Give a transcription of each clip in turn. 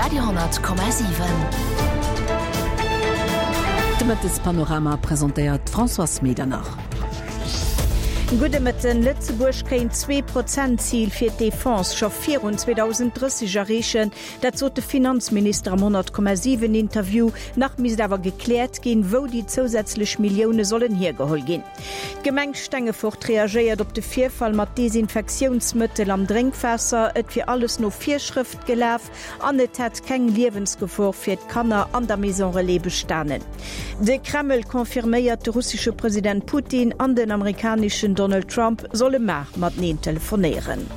Radio,7. De Mëttespanorama presentéiert d'Françoise Medernach. Gudde Mëtten. Lëtzebuerg kéint d'Zwee-Prozent-Zil fir d'Defense scho virun 2030 erreechen. Dat sot de Finanzminister am 100,7 Interview. Nach misst awer gekläert ginn, wou déi zousätzlech Millioune sollen hiergeholl ginn. D'Gemeng Stengefort reagéiert op de Virfall mat Desinfektiounsmëttel am Drénkwaasser. Et wier alles no Virschrëft gelaf an et hätt keng Liewensgefor fir d'Kanner an der Maison Relais bestanen. De Kreml confirméiert, de russesche President Putin an den amerikaneschen Donald Trump solle mar mateneen telefonéieren.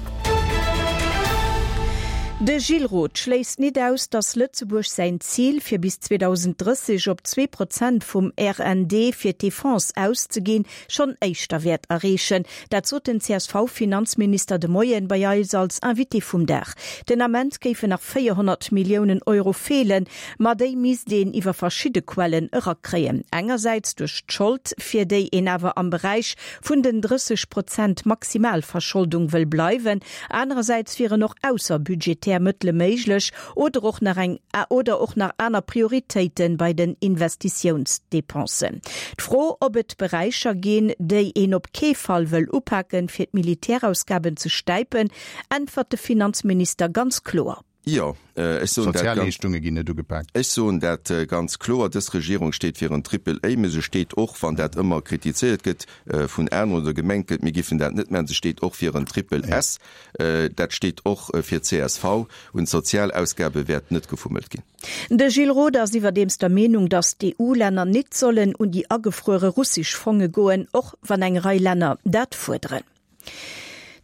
De Gilles Roth schléisst nit aus, datt Lëtzebuerg säin Zil, fir bis 2030 op 2 Prozent vum RND fir d'Defense auszeginn, schonn éischter wäert erreechen. Dat sot den CSV-Finanzminister de Moien bei eis als Invité vum Dag. Den Ament géifen nach 400 Milliounen Euro feelen, ma déi misst een iwwer verschidde Quellen erakréien. Engersäits duerch d'Schold, fir déi een awer am Beräich vun den 30 Prozent Maximalverscholdung wëll bleiwen, Anerersäits wieren och ausserbudgetär Mëttele méiglech oder och nach eng oder och nach aner Prioritéite bei den Investitiounsdepensen. D'Fro, ob et Beräicher ginn, déi een op kee Fall wëll upaken, fir d'Militärausgaben ze stäipen, äntwert de Finanzminister ganz kloer. Jo, ech soen dat ganz. Sozialleeschtunge ginn net ugepaakt. Ech soen dat ganz kloer, Dës Regierung steet fir en Triple A, mä se steet och, wann dat ëmmer kritizéiert gëtt vun aneren oder gemengt gëtt, mir giffen dat net maachen, se steet och fir en Triple S. Dat steet och fir csv. Un d'Sozialausgabe wäert net gefummelt ginn. De Gilles Roth ass iwwerdeems der Meenung, datt d'EU-Länner nit sollen un déi agefruere russesch Fonge goen, och wann eng Rei Länner dat fuerderen.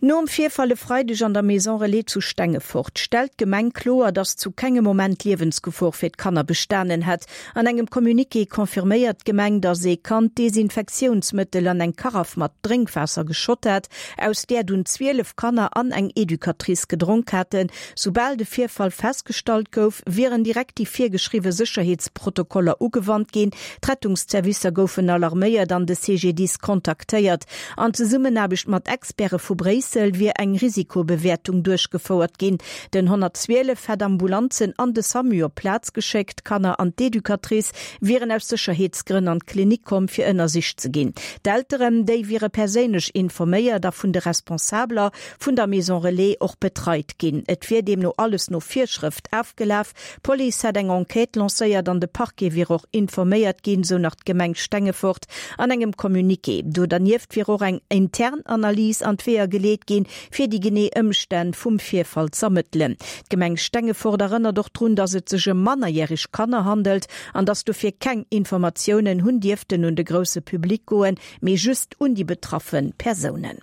Nom Virfall e Freideg an der Maison Relais zu Stengefort stellt d'Gemeng kloer, datt zu kengem Moment Liewensgefor fir d'Kanner bestanen hätt. An engem Communiqué confirméiert d'Gemeng, datt ee Kand Desinfektiounsmëttel an eng Karaff mat Drénkwaasser geschott hat, aus där dunn 12 Kanner an eng Educatrice gedronk haten. Soubal de Virfall festgestallt gouf, wieren direkt déi virgeschriwwe Sécherheetsprotokoller ugewannt ginn. D'Rettungszervicer goufen alarméiert an de CGDIS kontaktéiert. An Zesummenaarbecht mat Experte vu Bréissel wier eng Risikobewäertung duerchgefouert ginn. Den 112 hätt Ambulanzen an de Samu op d'Plaz geschéckt. D'Kanner an d'Educatrice wieren aus Sécherheetsgrënn an d'Klinik komm, fir ënnersicht ze ginn. D'Elteren, déi wiere perséinlech informéiert a vun de Responsabeler vun der Maison Relais och betreit ginn. Et wier deemno alles no Virschrëft afgelaf. D'Police hätt eng Enquête lancéiert an de Parquet wier och informéiert ginn, sou nach d'Gemeng Stengefort an engem Communiqué. Do dernieft wier och eng intern Analys an d'Weeër geleet ginn, fir déi genee Ëmstänn vum Virfall z'ermëttelen. D'Gemeng Stengefort erënnert och drun, datt et sech ëm mannerjäreg Kanner handelt an datt dofir keng Informatiounen hunn dierften un de grousse Public goen, mee just un déi betraffe Persounen.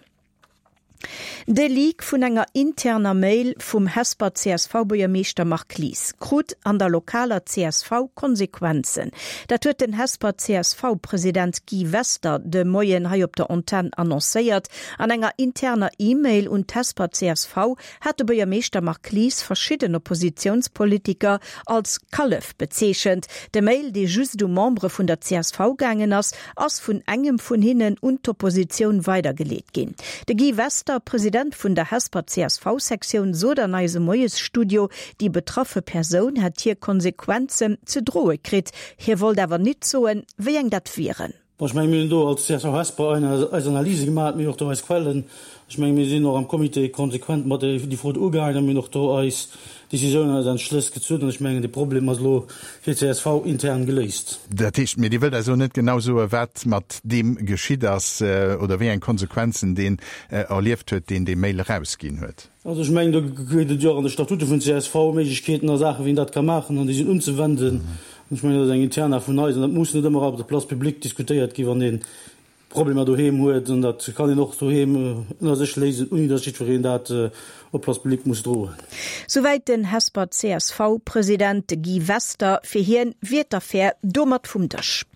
De Leak vun enger interner Mail vum Hesper CSV-Buergermeeschter Marc Lies krut an der lokaler csv Konsequenzen. Dat huet den Hesper CSV-President Guy Wester de Moien hei op der Antenn annoncéiert. An enger interner E-Mail un d'Hesper csv hat de Buergermeeschter Marc Lies verschidden Oppositiounspolitiker als Kallef bezeechent. De Mail, dee just u Membere vun der csv gaangen ass, ass vun engem vun hinnen un d'Oppositioun weidergeleet ginn. De Guy Wester, President vun der Hesper CSV-Sektioun, sot an eisem Moiesstudio, déi betraffe Persoun hätt hir Konsequenzen ze droe kritt. Hie wollt awer nit soen, wéi eng dat wieren. Bon, ech mengen, mir hunn do als csv Hesper eis Analyse gemaach, mir hunn och do eis Quellen. Ech mengen, mir sinn och am Comité konsequent mat déi Fro do ugaangen a mir hunn och do eis Décisiounen, eis Entschlëss gezunn. An ech mengen, de Problem ass elo fir csv intern geléist. Dat heescht, mee Dir wëllt eis elo net genau soen, wat mat deem geschitt ass oder wéi eng Konsequenzen deen erlieft huet, deen déi Mail erausginn huet? Also ech mengen, do gëtt et jo och an de Statute vun csv Méiglechkeeten a Saachen, wéi een dat ka maachen an déi sinn unzewenden. An ech mengen, dat ass eng Interna vun eis an dat muss net ëmmer op der Place publique diskutéiert ginn, wann ee Problemer doheem huet. An dat kann een och doheem ënner sech léisen, ouni datt jiddwereen dat op d'Place publique muss droen. Souwäit den Hesper CSV-President Guy Wester. Fir hien wier d'Affär domat vum Dësch.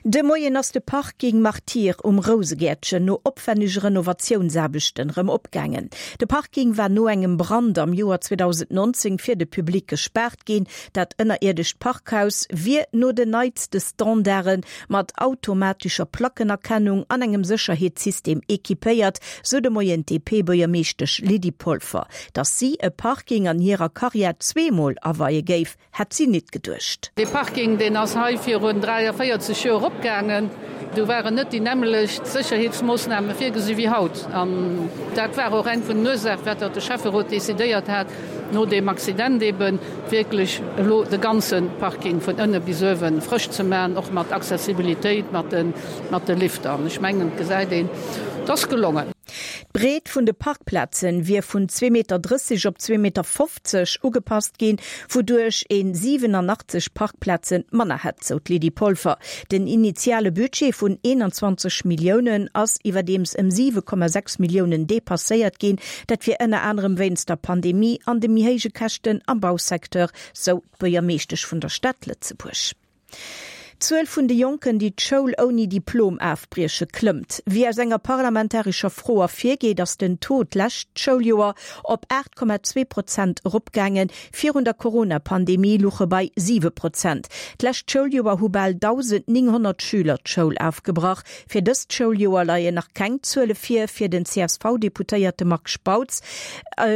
De Moien ass de Parking Martyr um Rousegäertchen no opwännege Renovatiounsaarbechten rëm opgaangen. De Parking war no engem Brand am Joer 2019 fir de Public gespaart ginn. Dat ënnerierdescht Parkhaus wier no den neitste Standarde mat automatescher Plackenerkennung an engem Sécherheetssystem equipéiert, sou de Moien d'DP-Buergermeeschtesch Lydie Polfer. Datt si e Parking an hirer Karriär zweemol aweie géif, Hätt si nit geduecht. Dee Parking, deen ass hei virun 43 Joer opgaangen. Do waren net déi nämmelecht Sécherheetsmoossname virgesi wéi haut. An dat war och eng vun den Ursaachen, firwat datt de Schäfferot decidéiert hat, no deem Accident eeben wierklech elo de ganze Parking vun ënne bis uewe frësch ze maachen, och mat Accessibilitéit, mat de Lifter. An ech mengen, et gesäit een, et ass gelongen. D'Breet vun de Parkplazen wier vun 2,30 Meter op 2,50 Meter ugepasst ginn, wouduerch een 87 Parkplazen manner hätt, sou d'Lydie Polfer. Den initiale Budget vun 21 Milliounen ass iwwerdeems ëm 7,6 Milliounen depasséiert ginn. Dat wier ënner anerem wéinst der Pandemie an de méi héije Käschten am Bausecteur, sou d'Buergermeeschtesch vun der Stad Lëtzebuerg. D'Zuel vun de Jonken, déi d'Schoul ouni Diplom afbrieche, klëmmt. Wéi aus enger parlamentarescher Fro ervirgeet, ass den Taux d'lescht Schouljoer op 8,2 Prozent eropgaangen. Virun der Corona-Pandemie luch e bei 7 Prozent. D'lescht Schouljoer hu bal 1.900 Schüler d'Schoul afgebrach. Fir dëst Schouljoer leien nach keng Zuele vir. Fir den CSV-Deputéierte Marc Spautz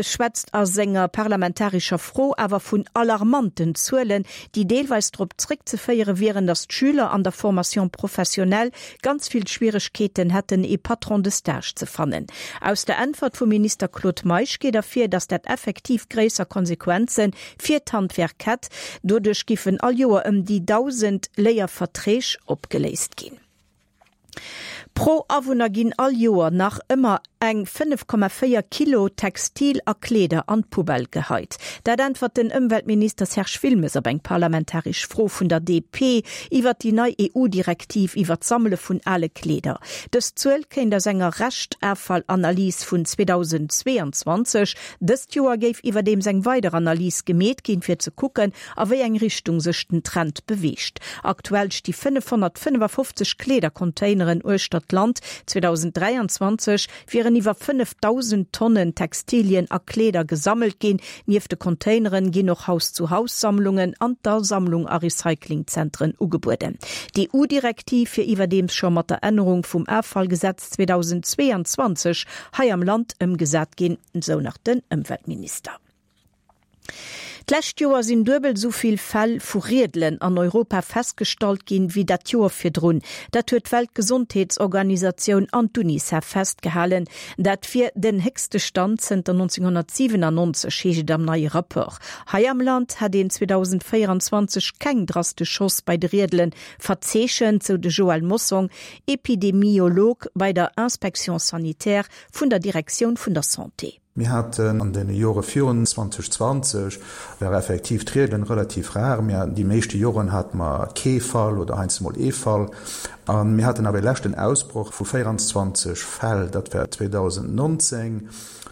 schwätzt a senger parlamentarescher Fro awer vun alarmanten Zuelen, déi deelweis drop zréckzeféiere wieren, datt d'Schüler an der Formation professionnelle ganz vill Schwieregkeeten hätten, ee Patron de stage ze fannen. Aus der Äntwert vum Minister Claude Meisch geet ervir, datt dat effektiv gréisser Konsequenze fir d'Handwerk hätt. Doduerch giffen all Joer ëm déi 1.000 Léierverträg opgeléist ginn. Pro Awunner ginn all Joer nach ëmmer eng 5,4 Kilo Textil a Kleeder an d'Poubelle geheit. Dat äntwert den Ëmweltminister Serge Wilmes op eng parlamentaresch Fro vun der DP iwwert déi nei EU-Direktiv iwwer d'Sammele vun ale Kleeder. Dës Zuel kéint aus enger Reschtafallanalys vun 2022. Dëst Joer géif iwwerdeems eng weider Analys gemeet ginn, fir ze kucken, a wéi eng Richtung sech den Trend beweegt. Aktuell sti 555 Kleedercontaineren uechter d'Land. 2023 wieren iwwer 5.000 Tonnen Textilien a Kleeder gesammelt ginn. Nieft de Containeren ginn och Haus-zu-Haus-Sammlungen an d'Asammlung a Recyclingzentren ugebueden. D'EU-Direktiv wier iwwerdeems scho mat der Ännerung vum Offallgesetz 2022 hei am Land ëmgesat ginn, sou nach den Ëmweltminister. D'lescht Joer sinn duebel esou vill Fäll vu Riedelen an Europa festgestallt ginn, wéi dat Joer virdrun. Dat huet d'Weltgesondheetsorganisatioun an d'UNICEF festgehalen. Dat wier den héchste Stand zënter 1997, heescht et am neie Rapport. Hei am Land hätt een 2024 keng drastesch Hausse bei de Riedele verzeechent, sou de Joël Mossong, Epidemiolog bei der Inspection sanitaire vun der Direktioun vun der Santé. Mir haten an deene Jore virun 2020 war effektiv d'Rieden relativ rar. Mir haten déi meeschte Joren hate mer kee Fall oder heiansdo mol ee Fall. A mir haten awer e leschten Ausbroch vu 24 Fäll, dat war 2019.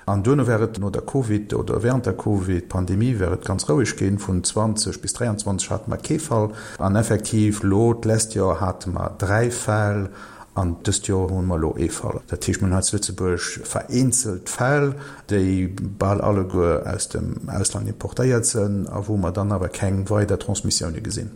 An duerno war et no der Covid oder während der Covid-Pandemie war et ganz roueg ginn. Vun 20 bis 23 hate mer kee Fall. An effektiv elo d'lescht Joer hate mer dräi Fäll. An dëst Joer hu mer elo ee Fall. Dat heescht, mir hunn hei zu Lëtzebuerg vereenzelt Fäll, déi bal alleguer aus dem Ausland importéiert sënn a wou mer dann awer keng weider Transmissioune gesinn.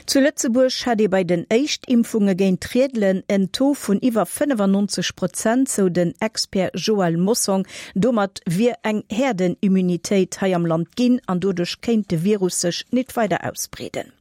Zu Lëtzebuerg hätt ee bei den Éischtimpfunge géint d'Riedelen en Taux vun iwwer 95 Prozent, sou den Expert Joël Mossong. Domat wier eng Häerdenimmunitéit hei am Land ginn an doduerch kéint de Virus sech nit weider ausbreeden.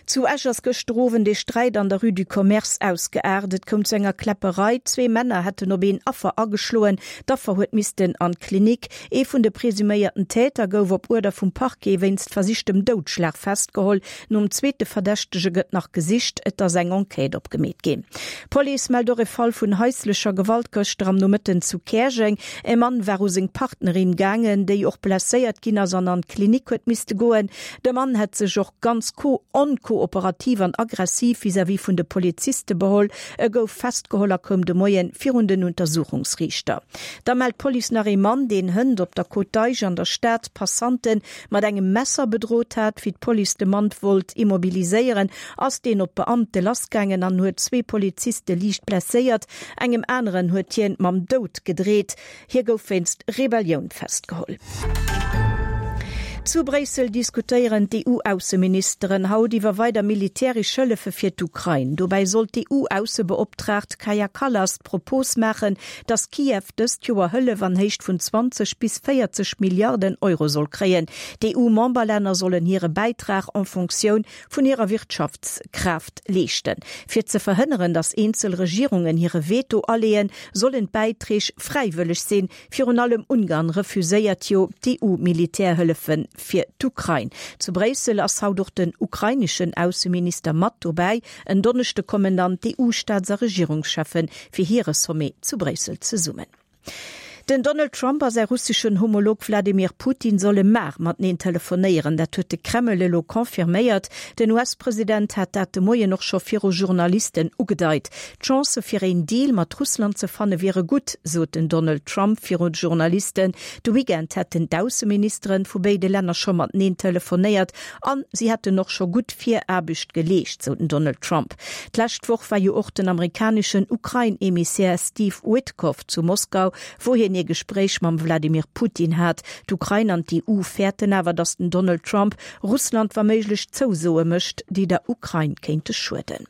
Zu Esch ass gëschter Owend ee Sträit an der Rue du Commerce ausgeaart. Et koum zu enger Kläpperei. Zwee Männer hätten op een Affer ageschloen. D'Affer huet missten an d'Klinik. Ee vun de presuméierten Täter gouf op Uerder vum Parquet wéinst versichtem Doudschlag festgeholl. Nom zweete Verdächtege gëtt nach gesicht. Et ass eng Enquête opgemeet ginn. D'Police mellt och e Fall vun haislecher Gewalt gëschter am Nomëtten zu Käerjeng. E Mann war u seng Partnerin gaangen, déi och blesséiert ginn ass an an d'Klinik huet misste goen. De Mann hätt sech och ganz onkoordiniert. kooperativ an aggressiv vis-à-vis vun de Poliziste beholl. E gouf festgeholl a koum de Moien virun den Untersuchungsriichter. Da mellt d'Police nach ee Mann, deen hënt op der Côte d'Eich an der Stad Passanten mat engem Messer bedrot hat. Wéi d'Police de Mann wollt immobiliséieren, ass deen op d'Beamte lassgaangen an huet zwee Poliziste liicht blesséiert. Engem aneren huet hien mam Doud gedreet. Hie gouf wéinst Rebellioun festgeholl. Zu Bréissel diskutéieren d'EU-Ausseministeren haut iwwer weider militäresch Hëllefe fir d'Ukrain. Dobäi soll d'EU-Aussebeoptraagt Kaja Kallas d'Propos maachen, datt Kiew dëst Joer Hëllef an Héicht vun 20 bis 40 Milliarden Euro soll kréien. D'EU-Memberlänner sollen hire Bäitrag en Fonctioun vun hirer Wirtschaftskraaft leeschten. Fir ze verhënneren, datt eenzel Regierungen hire Veto aleeën, sollen d'Bäiträg fräiwëlleg sinn. Virun allem Ungarn refuséiert jo d'EU-Militärhëllefe fir d'Ukrain. Zu Bréissel ass haut och den ukraineschen Ausseminister mat dobäi. En Donneschde kommen dann d'EU-Staats a Regierungscheffe fir hire Sommet zu Bréissel zesummen. Den Donald Trump a säi russeschen Homolog Wladimir Putin solle mar mateneen telefonéieren. Dat huet de Kreml elo confirméiert. Den US-President hat dat de Moien och scho viru Journalisten ugedeit. D'Chancë fir een Deal mat Russland ze fanne wiere gutt, sot den Donald Trump viru Journalisten. De Weekend hätten d'Ausseministere vu béide Länner scho mateneen telefonéiert an si hätten och scho gutt Viraarbecht geleescht, sou den Donald Trump. D'lescht Woch war jo och den amerikaneschen Ukrain-Emissär Steve Witkoff zu Moskau, wou hien ee Gespréich mam Wladimir Putin hat. D'Ukrain an d'EU fäerten awer, datt den Donald Trump Russland wa méiglech Zousoe mécht, déi der Ukrain kéinte schueden.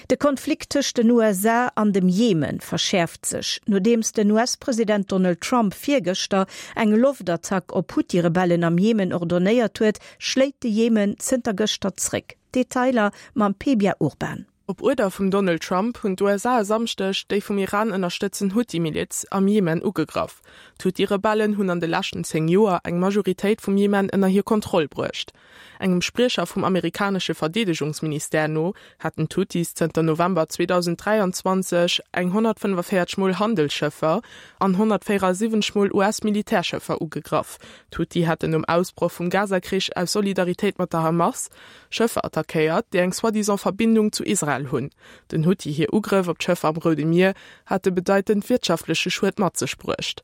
De Konflikt tëscht den USA an dem Jemen verschäerft sech. Nodeems den US-President Donald Trump virgëschter eng Loftattack op Huthi-Rebellen am Jemen ordonéiert huet, schléit de Jemen zënter gëschter zréck. Detailer mam Pebia Urban. Op Uerder vum Donald Trump hunn d'USA e Samschdeg déi vum Iran ënnerstëtzen Huthi-Miliz am Jemen ugegraff. D'Huthi-Rebellen hunn an de leschten 10 Joer eng Majoritéit vum Jemen ënner hir Kontroll bruecht. Engem Spriecher vum amerikanesche Verdeedegungsministère no hätten d'Huthis zënter November 2023 eng 145 Mol Handelsschëffer an 174 Mol US-Militärschëffer ugegraff. D'Huthi hätten nom Ausbroch vum Gaza-Krich aus Solidaritéit mat der Hamas Schëffer attackéiert, déi eng soi-disant Verbindung zu Israel hunn. Den Huthi hir Ugrëff op d'Schëffer am Roude Mier hate bedeitend wirtschaftleche Schued mat sech bruecht.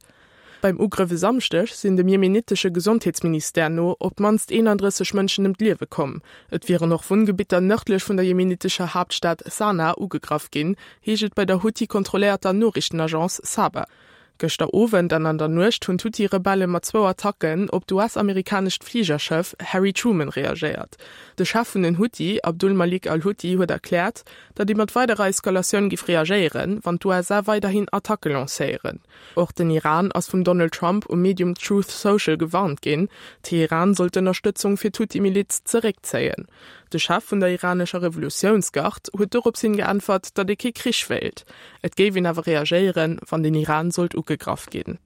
Beim Ugrëff e Samschdeg sinn dem jemenitesche Gesondheetsministère no op d'mannst 31 Mënschen ëm d'Liewe komm. Et wieren och Wunngebitter nërdlech vun der jemenitescher Haaptstad Sanaa ugegraff ginn, heescht et bei der Huthi-kontrolléierter Noriichtenagence Saba. Gëschter Owend an an der Nuecht hunn d'Huthi-Rebelle mat zwou Attacken op d'US-amerikanescht Fligerschëff Harry Truman reagéiert. De Chef vun den Huthi, Abdul Malik al-Huthi, huet erkläert, datt ee mat weiderer Eskalatioun géif reagéieren, wann d'USA weiderhin Attacke lancéieren. Och den Iran ass vum Donald Trump um Medium Truth Social gewarnt ginn, Teheran sollt d'Ënnerstëtzung fir d'Huthi-Miliz zeréckzéien. De Chef vun der iranescher Revolutiounsgard huet dorops hin geäntwert, datt ee kee Krich wéilt. Et géif een awer reagéieren, wann den Iran sollt ugegraff ginn.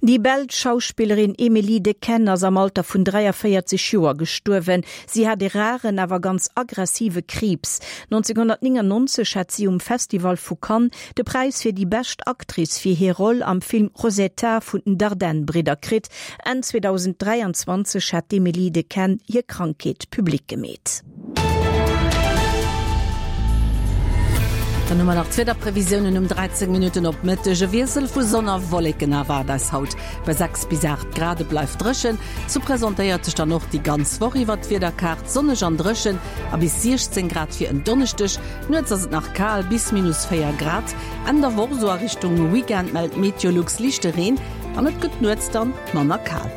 Déi belsch Schauspillerin Émilie Dequenne ass am Alter vun 43 Joer gestuerwen. Si hat e raren, awer ganz aggressive Kriibs. 1999 hat si um Festival vu Cannes de Präis fir déi bescht Actrice fir hir Roll am Film Rosetta vun den Dardenne-Bridder kritt. Enn 2023 hat d'Émilie Dequenne hir Krankheet public gemeet. Dann hu mer nach d'Wiederprevisiounen um 13 Minutten op Mëtteg. E Wiessel vu Sonn a Wolleken erwaart eis haut bei 6 bis 8 Grad. Et bleift dréchen. Sou presentéiert sech dann och déi ganz Woch iwwer d'Wiederkaart, sonneg an dréchen a bis 16 Grad fir en Donneschdeg. Nuets ass et nach kal, bis minus 4 Grad. Enn der Woch, sou a Richtung Weekend, mellt Meteolux liichte Reen an et gëtt nuets dann manner kal.